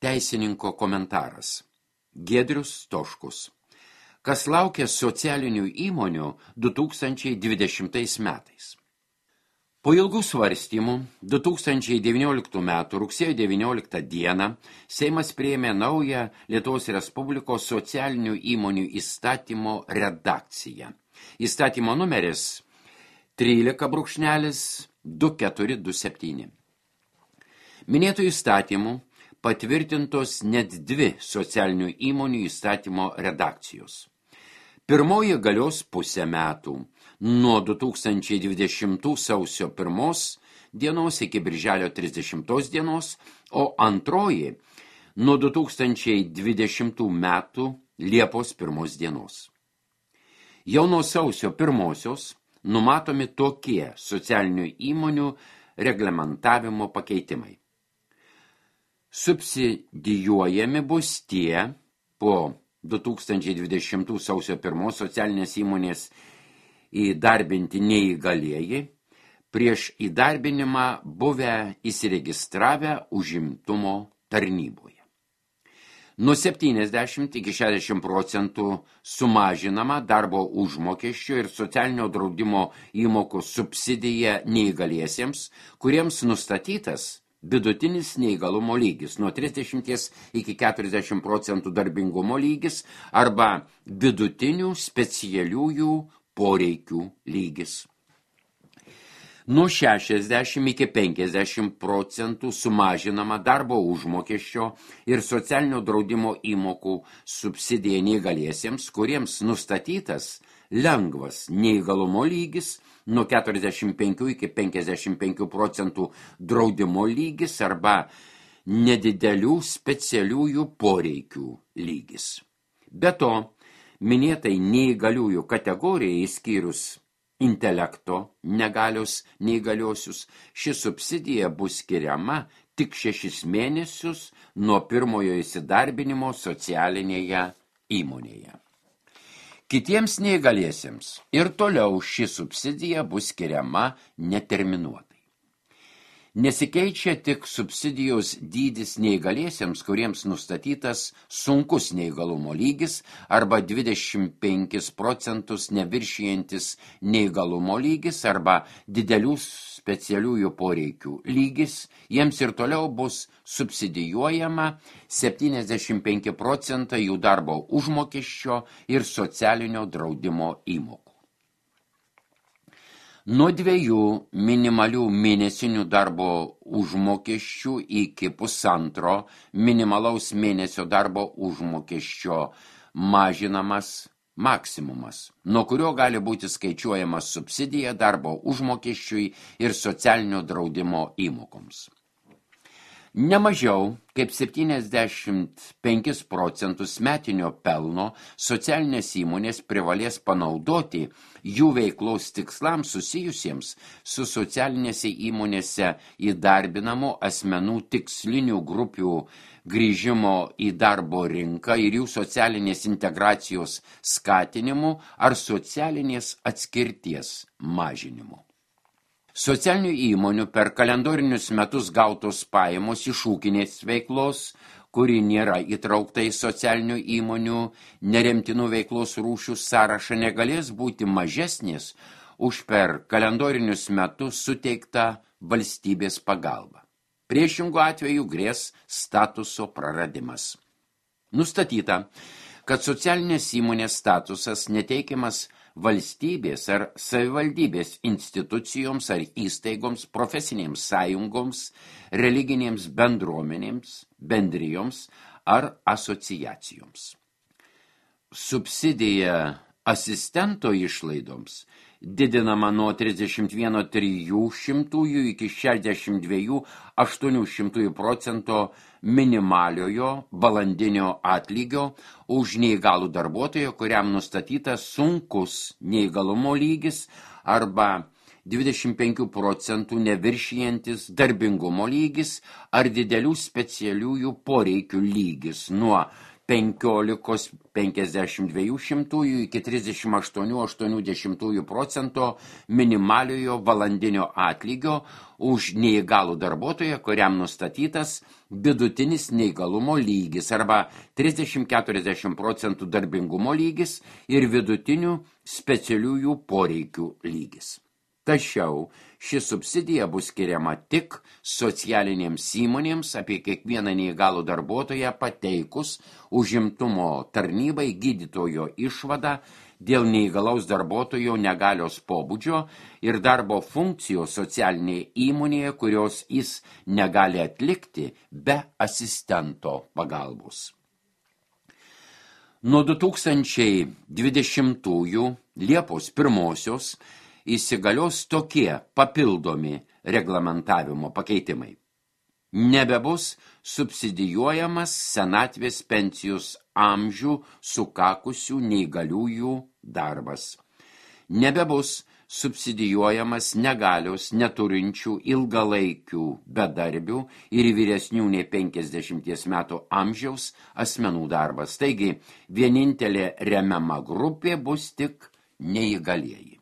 Teisininko komentaras. Giedrius Stoškus. Kas laukia socialinių įmonių 2020 metais? Po ilgų svarstymų 2019 m. rugsėjo 19 d. Seimas priėmė naują Lietuvos Respublikos socialinių įmonių įstatymo redakciją. Įstatymo numeris 13.2427. Minėtų įstatymų patvirtintos net dvi socialinių įmonių įstatymo redakcijos. Pirmoji galios pusę metų, nuo 2020 sausio 1 dienos iki birželio 30 dienos, o antroji nuo 2020 metų Liepos 1 dienos. Jau nuo sausio 1 numatomi tokie socialinių įmonių reglamentavimo pakeitimai. Subsidijuojami bus tie po 2020 sausio 1 socialinės įmonės įdarbinti neįgalieji, prieš įdarbinimą buvę įsiregistravę užimtumo tarnyboje. Nuo 70 iki 60% sumažinama darbo užmokesčio ir socialinio draudimo įmokų subsidija neįgaliesiems, kuriems nustatytas vidutinis neįgalumo lygis nuo 30 iki 40% darbingumo lygis arba vidutinių specialiųjų poreikių lygis. Nuo 60 iki 50% sumažinama darbo užmokesčio ir socialinio draudimo įmokų subsidija neįgaliesiems, kuriems nustatytas lengvas neįgalumo lygis nuo 45 iki 55% draudimo lygis arba nedidelių specialiųjų poreikių lygis. Be to, minėtai neįgaliųjų kategorijai išskyrus intelekto negalios neįgaliosius, ši subsidija bus skiriama tik 6 mėnesius nuo pirmojo įsidarbinimo socialinėje įmonėje. Kitiems neįgaliesiems ir toliau ši subsidija bus skiriama neterminuotai. Nesikeičia tik subsidijos dydis neįgaliesiems, kuriems nustatytas sunkus neįgalumo lygis arba 25% neviršijantis neįgalumo lygis arba didelių specialiųjų poreikių lygis, jiems ir toliau bus subsidijuojama 75% jų darbo užmokesčio ir socialinio draudimo įmokų. Nuo 2 minimalių mėnesinių darbo užmokesčių iki 1,5 minimalaus mėnesio darbo užmokesčio mažinamas maksimumas, nuo kurio gali būti skaičiuojamas subsidija darbo užmokesčiui ir socialinio draudimo įmokoms. Nemažiau kaip 75% metinio pelno socialinės įmonės privalės panaudoti jų veiklos tikslams susijusiems su socialinėse įmonėse įdarbinamų asmenų tikslinių grupių grįžimo į darbo rinką ir jų socialinės integracijos skatinimu ar socialinės atskirties mažinimu. Socialinių įmonių per kalendorinius metus gautos pajamos iš ūkinės veiklos, kuri nėra įtraukta į socialinių įmonių neremtinų veiklos rūšių sąrašą, negalės būti mažesnės už per kalendorinius metus suteiktą valstybės pagalbą. Priešingų atveju grės statuso praradimas. Nustatyta, kad socialinės įmonės statusas neteikiamas valstybės ar savivaldybės institucijoms ar įstaigoms, profesinėms sąjungoms, religinėms bendruomenėms, bendrijoms ar asociacijoms. Subsidija asistento išlaidoms didinama nuo 31,300 iki 62,800% minimaliojo valandinio atlygio už neįgalų darbuotoją, kuriam nustatytas sunkus neįgalumo lygis arba 25% neviršijantis darbingumo lygis ar didelių specialiųjų poreikių lygis nuo 15,52 iki 38,80% minimaliojo valandinio atlygio už neįgalų darbuotoją, kuriam nustatytas vidutinis neįgalumo lygis arba 30–40% darbingumo lygis ir vidutinių specialiųjų poreikių lygis. Tačiau ši subsidija bus skiriama tik socialinėms įmonėms apie kiekvieną neįgalų darbuotoją pateikus užimtumo tarnybai gydytojo išvadą dėl neįgalaus darbuotojo negalios pobūdžio ir darbo funkcijos socialinėje įmonėje, kurios jis negali atlikti be asistento pagalbos. Nuo 2020 Liepos 1 įsigalios tokie papildomi reglamentavimo pakeitimai. Nebebus subsidijuojamas senatvės pensijos amžių sukakusių neįgaliųjų darbas. Nebebus subsidijuojamas negalios neturinčių ilgalaikių bedarbių ir vyresnių nei 50 metų amžiaus asmenų darbas. Taigi, vienintelė remiama grupė bus tik neįgalieji.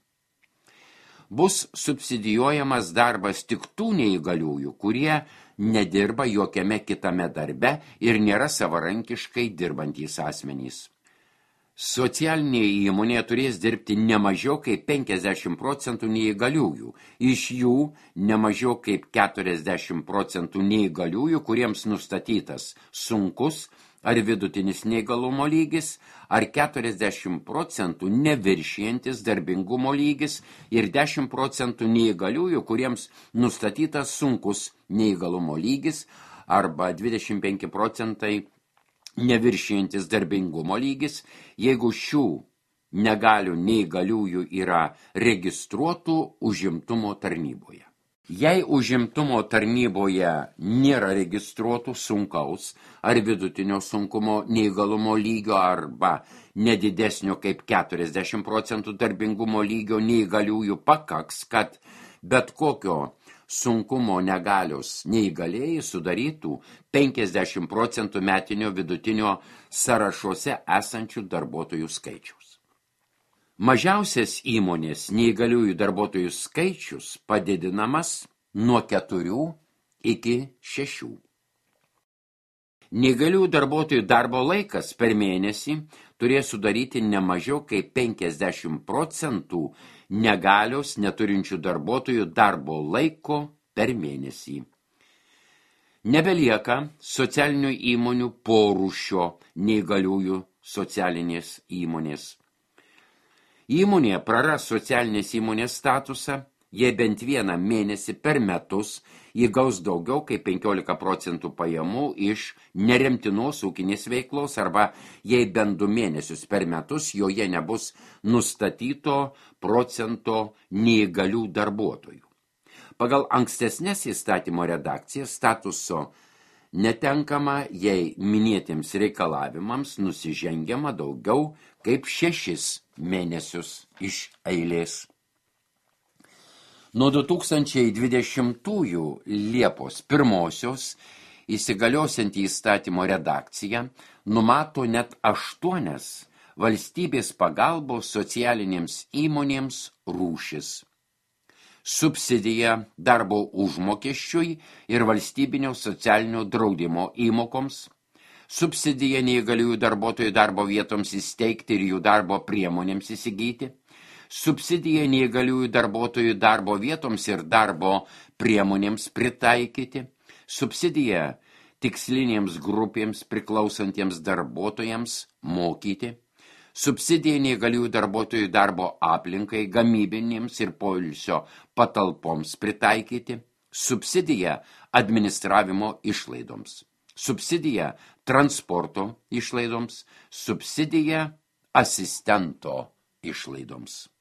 Bus subsidijuojamas darbas tik tų neįgaliųjų, kurie nedirba jokiame kitame darbe ir nėra savarankiškai dirbantys asmenys. Socialinėje įmonėje turės dirbti ne mažiau kaip 50% neįgaliųjų, iš jų ne mažiau kaip 40% neįgaliųjų, kuriems nustatytas sunkus ar vidutinis neįgalumo lygis, ar 40% neviršijantis darbingumo lygis ir 10% neįgaliųjų, kuriems nustatytas sunkus neįgalumo lygis, arba 25% neviršijantis darbingumo lygis, jeigu šių negalių neįgaliųjų yra registruotų užimtumo tarnyboje. Jei užimtumo tarnyboje nėra registruotų sunkaus ar vidutinio sunkumo neįgalumo lygio arba nedidesnio kaip 40% darbingumo lygio neįgaliųjų, pakaks, kad bet kokio sunkumo negalios neįgalėjai sudarytų 50% metinio vidutinio sąrašuose esančių darbuotojų skaičiaus. Mažiausias įmonės neįgaliųjų darbuotojų skaičius padidinamas nuo 4 iki 6. Neįgaliųjų darbuotojų darbo laikas per mėnesį turės sudaryti ne mažiau kaip 50% negalios neturinčių darbuotojų darbo laiko per mėnesį. Nebelieka socialinių įmonių porūšio neįgaliųjų socialinės įmonės. Įmonė praras socialinės įmonės statusą, jei bent vieną mėnesį per metus įgaus daugiau kaip 15% pajamų iš neremtinos ūkinės veiklos arba jei bent 2 mėnesius per metus joje nebus nustatyto procento neįgalių darbuotojų. Pagal ankstesnės įstatymo redakcijas statuso netenkama, jei minėtiems reikalavimams nusižengiama daugiau kaip 6 mėnesius iš eilės. Nuo 2020 Liepos 1 įsigaliosianti įstatymo redakcija numato net 8 valstybės pagalbos socialinėms įmonėms rūšis. Subsidija darbo užmokesčiui ir valstybinio socialinio draudimo įmokoms, subsidija neįgaliųjų darbuotojų darbo vietoms įsteigti ir jų darbo priemonėms įsigyti, subsidija neįgaliųjų darbuotojų darbo vietoms ir darbo priemonėms pritaikyti, subsidija tikslinėms grupėms priklausantiems darbuotojams mokyti, subsidija neįgaliųjų darbuotojų darbo aplinkai, gamybinėms ir poilsio patalpoms pritaikyti, subsidija administravimo išlaidoms, subsidija transporto išlaidoms, subsidija asistento išlaidoms.